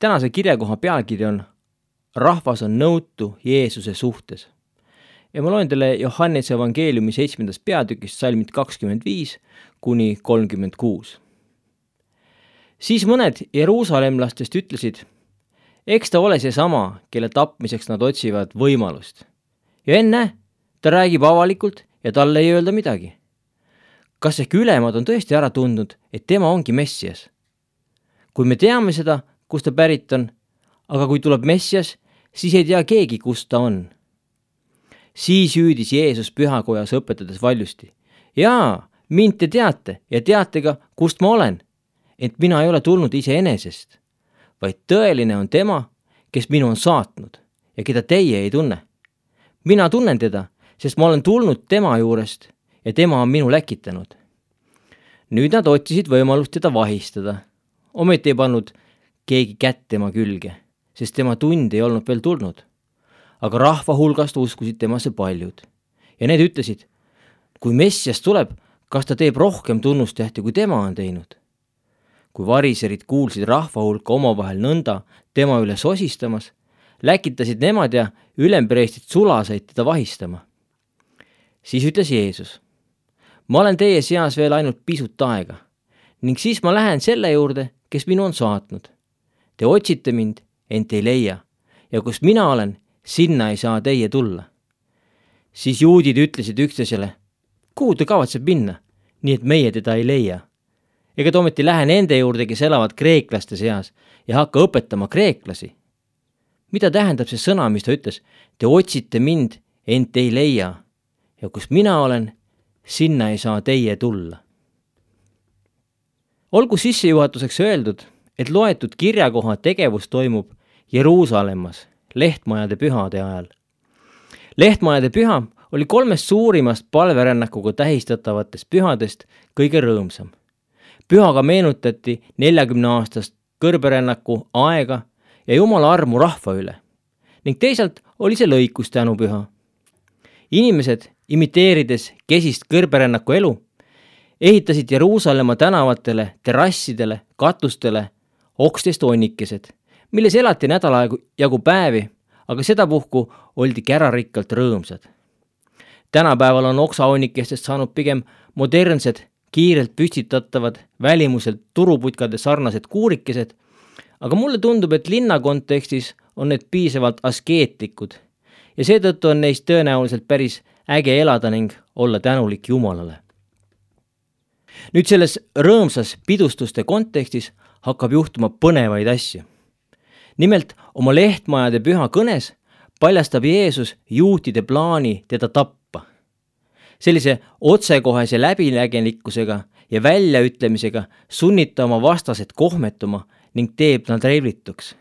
Tänase kirjakoha pealkiri on Rahvas on nõutu Jeesuse suhtes. Ja ma loen teile Johannese evangeeliumi 7. peatükist salmid 25 kuni 36. Siis mõned jeruusalemlastest ütlesid, eks ta ole see sama, kelle tapmiseks nad otsivad võimalust. Ja enne, ta räägib avalikult ja talle ei öelda midagi. Kas ehk ülemad on tõesti ära tundnud, et tema ongi Messias? Kui me teame seda, kust ta pärit on, aga kui tuleb Messias, siis ei tea keegi, kust ta on. Siis hüüdis Jeesus pühakojas õpetades valjusti. Jaa, mind te teate ja teate ka, kust ma olen. Ent mina ei ole tulnud iseenesest, vaid tõeline on tema, kes minu on saatnud ja keda teie ei tunne. Mina tunnen teda, sest ma olen tulnud tema juurest ja tema on minu läkitanud. Nüüd nad otsisid võimalust teda vahistada. Ometi ei pannud keegi kätt tema külge, sest tema tund ei olnud veel tulnud. Aga rahva hulgast uskusid temasse paljud. Ja need ütlesid, kui Messias tuleb, kas ta teeb rohkem tunnustähti, kui tema on teinud? Kui variserid kuulsid rahva hulka omavahel nõnda tema üle sosistamas, läkitasid nemad ja ülempreestid sulasaid teda vahistama. Siis ütles Jeesus, ma olen teie seas veel ainult pisut aega ning siis ma lähen selle juurde, kes minu on saatnud. Te otsite mind, ent ei leia ja kus mina olen, sinna ei saa teie tulla. Siis juudid ütlesid üksteisele, kuhu ta kavatseb minna, nii et meie teda ei leia. Ega ta ometi lähe nende juurde, kes elavad kreeklaste seas ja hakka õpetama kreeklasi. Mida tähendab see sõna, mis ta ütles? Te otsite mind, ent ei leia ja kus mina olen, sinna ei saa teie tulla. Olgu sissejuhatuseks öeldud, et loetud kirjakoha tegevus toimub Jeruusalemmas lehtmajade pühade ajal. Lehtmajade püha oli 3 suurimast palverännakuga tähistatavatest pühadest kõige rõõmsam. Pühaga meenutati 40-aastast kõrberännaku aega ja Jumala armu rahva üle. Ning teisalt oli see lõikus tänupüha. Inimesed, imiteerides kesist kõrberännaku elu, ehitasid Jeruusalemma tänavatele, terrassidele, katustele okstest onnikesed, milles elati nädala jagu päevi, aga sedapuhku oldi kärarikkalt rõõmsad. Tänapäeval on oksaonnikestest saanud pigem modernsed, kiirelt püstitatavad, välimuselt turuputkade sarnased kuurikesed, aga mulle tundub, et linna kontekstis on need piisavalt askeetlikud ja seetõttu on neist tõenäoliselt päris äge elada ning olla tänulik Jumalale. Nüüd selles rõõmsas pidustuste kontekstis hakkab juhtuma põnevaid asju. Nimelt oma lehtmajade püha kõnes paljastab Jeesus juutide plaani teda tappa. Sellise otsekohese läbinägelikkusega ja väljaütlemisega sunnita oma vastased kohmetuma ning teeb nad reivlituks.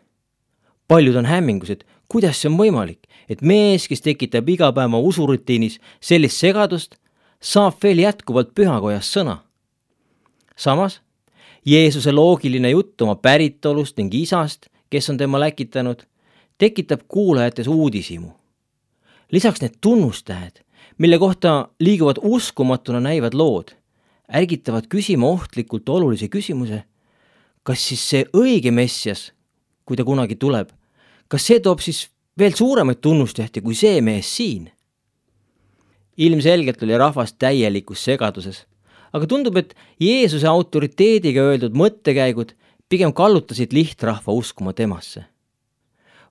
Paljud on hämmingus, et kuidas see on võimalik, et mees, kes tekitab igapäeva usurutiinis sellist segadust, saab veel jätkuvalt pühakojas sõna. Samas, Jeesuse loogiline jutt oma päritolust ning isast, kes on tema läkitanud, tekitab kuulajates uudishimu. Lisaks need tunnustähed, mille kohta liiguvad uskumatuna näivad lood, ärgitavad küsima ohtlikult olulise küsimuse, kas siis see õige Messias, kui ta kunagi tuleb, kas see toob siis veel suuremaid tunnustähti kui see mees siin? Ilmselgelt oli rahvas täielikus segaduses, aga tundub, et Jeesuse autoriteediga öeldud mõttekäigud pigem kallutasid lihtrahva uskuma temasse.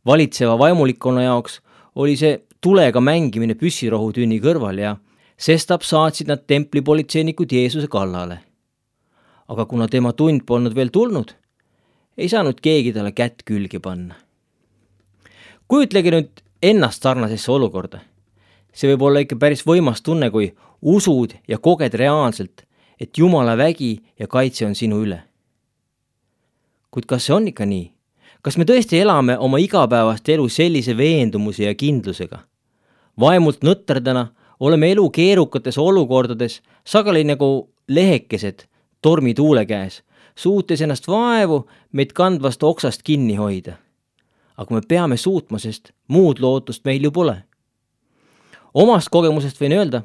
Valitseva vaimulikkonna jaoks oli see tulega mängimine püssirohutünni kõrval ja sestap saatsid nad templipolitseinikud Jeesuse kallale. Aga kuna tema tund polnud veel tulnud, ei saanud keegi talle kätt külge panna. Kujutlege nüüd ennast sarnasesse olukorda. See võib olla ikka päris võimas tunne, kui usud ja koged reaalselt, et Jumala vägi ja kaitse on sinu üle. Kuid kas see on ikka nii? Kas me tõesti elame oma igapäevast elu sellise veendumuse ja kindlusega? Vaimult nõtterdana oleme elu keerukates olukordades sageli nagu lehekesed tormituule käes, suutes ennast vaevu meid kandvast oksast kinni hoida. Aga me peame suutma, sest muud lootust meil ju pole. Omast kogemusest võin öelda,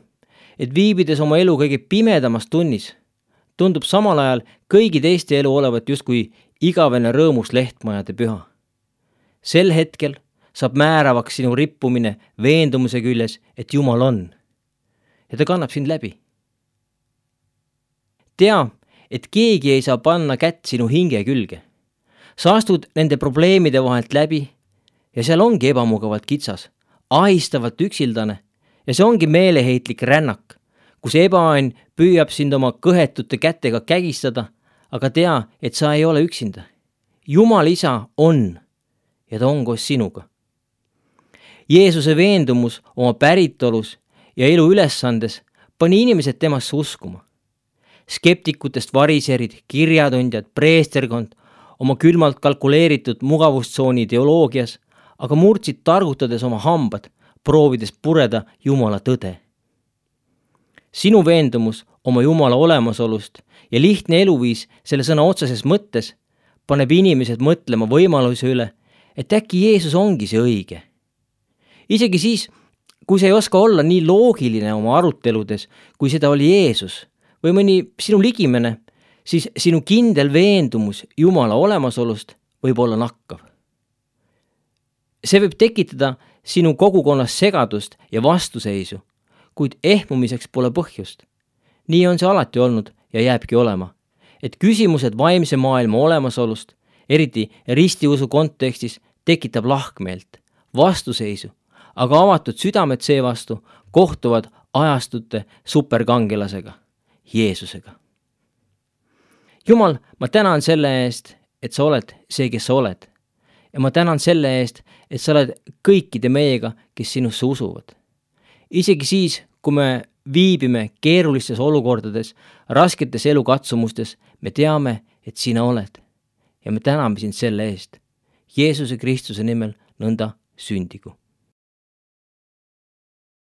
et viibides oma elu kõige pimedamas tunnis, tundub samal ajal kõigi teiste elu olevat justkui igavene rõõmus lehtmajade püha. Sel hetkel saab määravaks sinu rippumine veendumuse küljes, et Jumal on. Ja ta kannab sind läbi. Tea, et keegi ei saa panna kätt sinu hinge külge. Sa astud nende probleemide vahelt läbi ja seal ongi ebamugavalt kitsas, ahistavalt üksildane ja see ongi meeleheitlik rännak, kus ebaõnn püüab sind oma kõhetute kätega kägistada, aga tea, et sa ei ole üksinda. Jumal isa on ja ta on koos sinuga. Jeesuse veendumus oma päritolus ja elu ülesandes pani inimesed temasse uskuma. Skeptikutest variserid, kirjatundjad, preesterkond oma külmalt kalkuleeritud mugavustsooni ideoloogias, aga murdsid targutades oma hambad, proovides pureda Jumala tõde. Sinu veendumus oma Jumala olemasolust ja lihtne eluviis selle sõna otseses mõttes paneb inimesed mõtlema võimaluse üle, et äkki Jeesus ongi see õige. Isegi siis, kui sa ei oska olla nii loogiline oma aruteludes, kui seda oli Jeesus või mõni sinu ligimene, siis sinu kindel veendumus Jumala olemasolust võib olla nakkav. See võib tekitada sinu kogukonnas segadust ja vastuseisu, kuid ehmumiseks pole põhjust. Nii on see alati olnud ja jääbki olema, et küsimused vaimse maailma olemasolust, eriti ristiusu kontekstis, tekitab lahkmeelt, vastuseisu, aga avatud südamed seevastu kohtuvad ajastute superkangelasega, Jeesusega. Jumal, ma tänan selle eest, et sa oled see, kes sa oled. Ja ma tänan selle eest, et sa oled kõikide meiega, kes sinusse usuvad. Isegi siis, kui me viibime keerulistes olukordades, rasketes elukatsumustes, me teame, et sina oled. Ja me täname sind selle eest. Jeesuse Kristuse nimel nõnda sündigu.